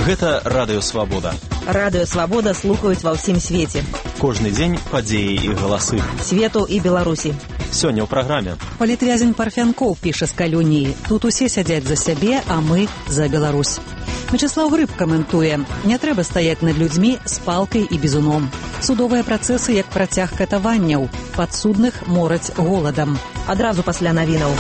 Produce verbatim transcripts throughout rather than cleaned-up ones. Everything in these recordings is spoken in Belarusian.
Гэта Радыё Свабода. Радыё Свабода слухаюць ва ўсім свеце. Кожны дзень падзеі і галасы. Свету і Беларусі. Сёння ў праграме. Палітвязень Парфянкоў піша з калоніі. Тут усе сядзяць за сябе, а мы за Беларусь. Мячаслаў Грыб каментуе. Не трэба стаяць над людзьмі з палкай і бізуном. Судовыя працэсы як працяг катаванняў. Падсудных мораць голадам. Адразу пасля навінаў.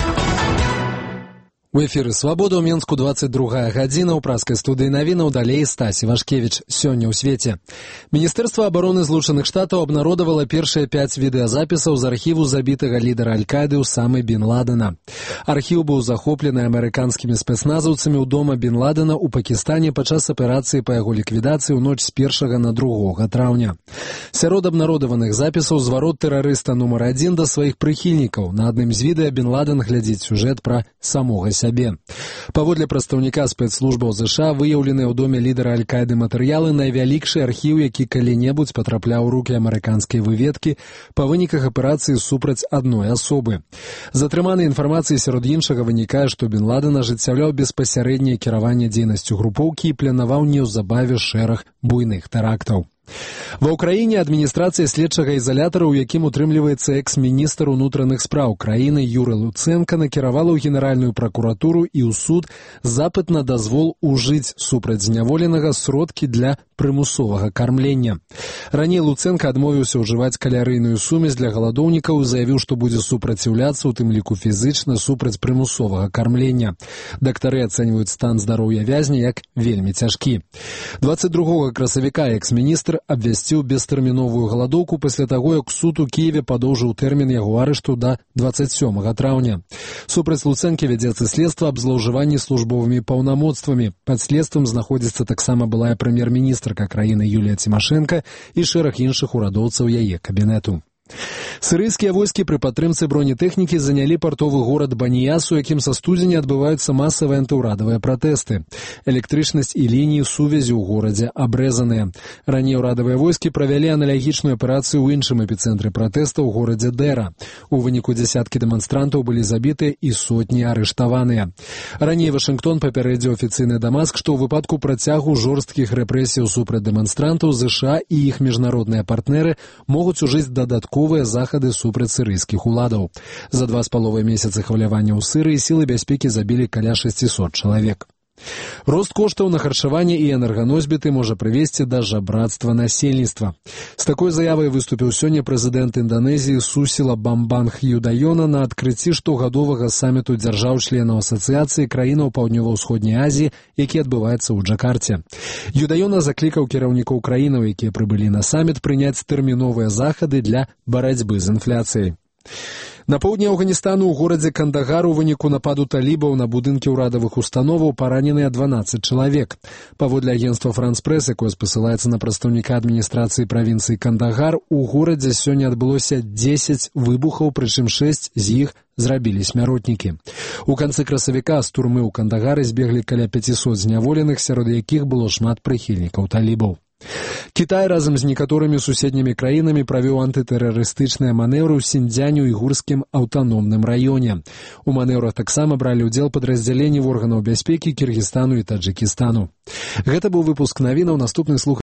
У эфіры «Свабода» ў Менску двадцать другая гадзіна, ў праскай студыі навінаў далей Стасі Вашкевіч. Сёння ў свеце. Міністэрства абароны Злучаных Штатаў абнародавала першыя пяць відэазапісаў з архіву забітага лідара Аль-Каіды Усамы Бін Ладена. Архіў быў захоплены амерыканскімі спецназаўцамі ў дома Бін Ладена ў Пакістане падчас аперацыі па яго ліквідацыі ў ноч з першага на другога траўня. Сярод абнародаваных запісаў зварот тэрарыста нумар адзін да сваіх прыхільнікаў. На адным з відэа Бін Ладен глядзіць сюжэт пра самога сябе. Паводле прадстаўніка спецслужбаў ЗША выяўленыя ў доме лідара Аль-Каіды матэрыялы найвялікшы архіў, які калі-небудзь патрапляў у рукі амерыканскай выведкі па выніках аперацыі супраць адной асобы. З атрыманай інфармацыі сярод іншага вынікае, што Бін Ладен ажыццяўляў беспасярэдняе кіраванне дзейнасцю групоўкі і планаваў неўзабаве шэраг буйных тэрактаў. Ва ўкраіне адміністрацыя следчага ізалятара, у якім утрымліваецца экс-міністр унутраных спраў краіны Юры Луцэнка, накіравала ў генеральную пракуратуру і ў суд запыт на дазвол ужыць супраць зняволенага сродкі для прымусовага кармлення. Раней Луцэнка адмовіўся ўжываць калярыйную сумесь для галадоўнікаў і заявіў, што будзе супраціўляцца, у тым ліку фізычна, супраць прымусовага кармлення. Дактары ацэньваюць стан здароўя вязня як вельмі цяжкі. двадцать другога красавіка экс-міністр абвясціў бестэрміновую галадоўку пасля таго, як суд у Кіеве падоўжыў тэрмін яго арышту да двадцать сёмага траўня. Супраць Луцэнкі вядзецца следства аб злоўжыванні службовымі паўнамоцтвамі. Пад следствам знаходзіцца таксама былая прэм'ер-міністрка краіны Юлія Цімашэнка і шэраг іншых урадоўцаў яе кабінету. Сірыйскія войскі пры падтрымцы бронетэхнікі занялі партовы горад Баніяс, у якім са студзеня адбываюцца масавыя антыўрадавыя пратэсты. Электрычнасць і лініі сувязі ў горадзе абрэзаныя. Раней урадавыя войскі правялі аналагічную аперацыю ў іншым эпіцэнтры пратэста ў горадзе Дэра. У выніку дзясяткі дэманстрантаў былі забітыя і сотні арыштаваныя. Раней Вашынгтон папярэдзіў афіцыйны Дамаск, што ў выпадку працягу жорсткіх рэпрэсіяў супраць дэманстрантаў ЗША і іх міжнародныя партнеры могуць ужыць дадатковыя захады супраць сірыйскіх уладаў. За два з паловай месяцы хвалявання ў Сірыі сілы бяспекі забілі каля шасцісот чалавек. Рост коштаў на харчаванне і энерганосьбіты можа прывесці да жабрацтва насельніцтва. З такой заявай выступіў сёння прэзідэнт Інданезіі Сусіла Бамбанг Юдаёна на адкрыцці штогадовага саміту дзяржаў-членаў асацыяцыі краінаў Паўднёва-ўсходняй Азіі, які адбываецца ў Джакарце. Юдаёна заклікаў кіраўнікоў краінаў, якія прыбылі на саміт, прыняць тэрміновыя захады для барацьбы з інфляцыяй. На поўдні Афганістану ў горадзе Кандагар у выніку нападу талібаў на будынкі ўрадавых установаў параненыя дванаццаць чалавек. Паводле агенцтва Франс-Прэс, якое спасылаецца на прадстаўніка адміністрацыі правінцыі Кандагар, у горадзе сёння адбылося дзесяць выбухаў, прычым шэсць з іх зрабілі смяротнікі. У канцы красавіка з турмы ў Кандагары збеглі каля пяцісот зняволеных, сярод якіх было шмат прыхільнікаў талібаў. Кітай разам з некаторымі суседнімі краінамі правёў антытэрарыстычныя манеўры ў Сіньцзянь-уйгурскім аўтаномным раёне. У манеўрах таксама бралі ўдзел падраздзяленні органаў бяспекі Кіргізстану і Таджыкістану. Гэта быў выпуск навінаў, наступны слух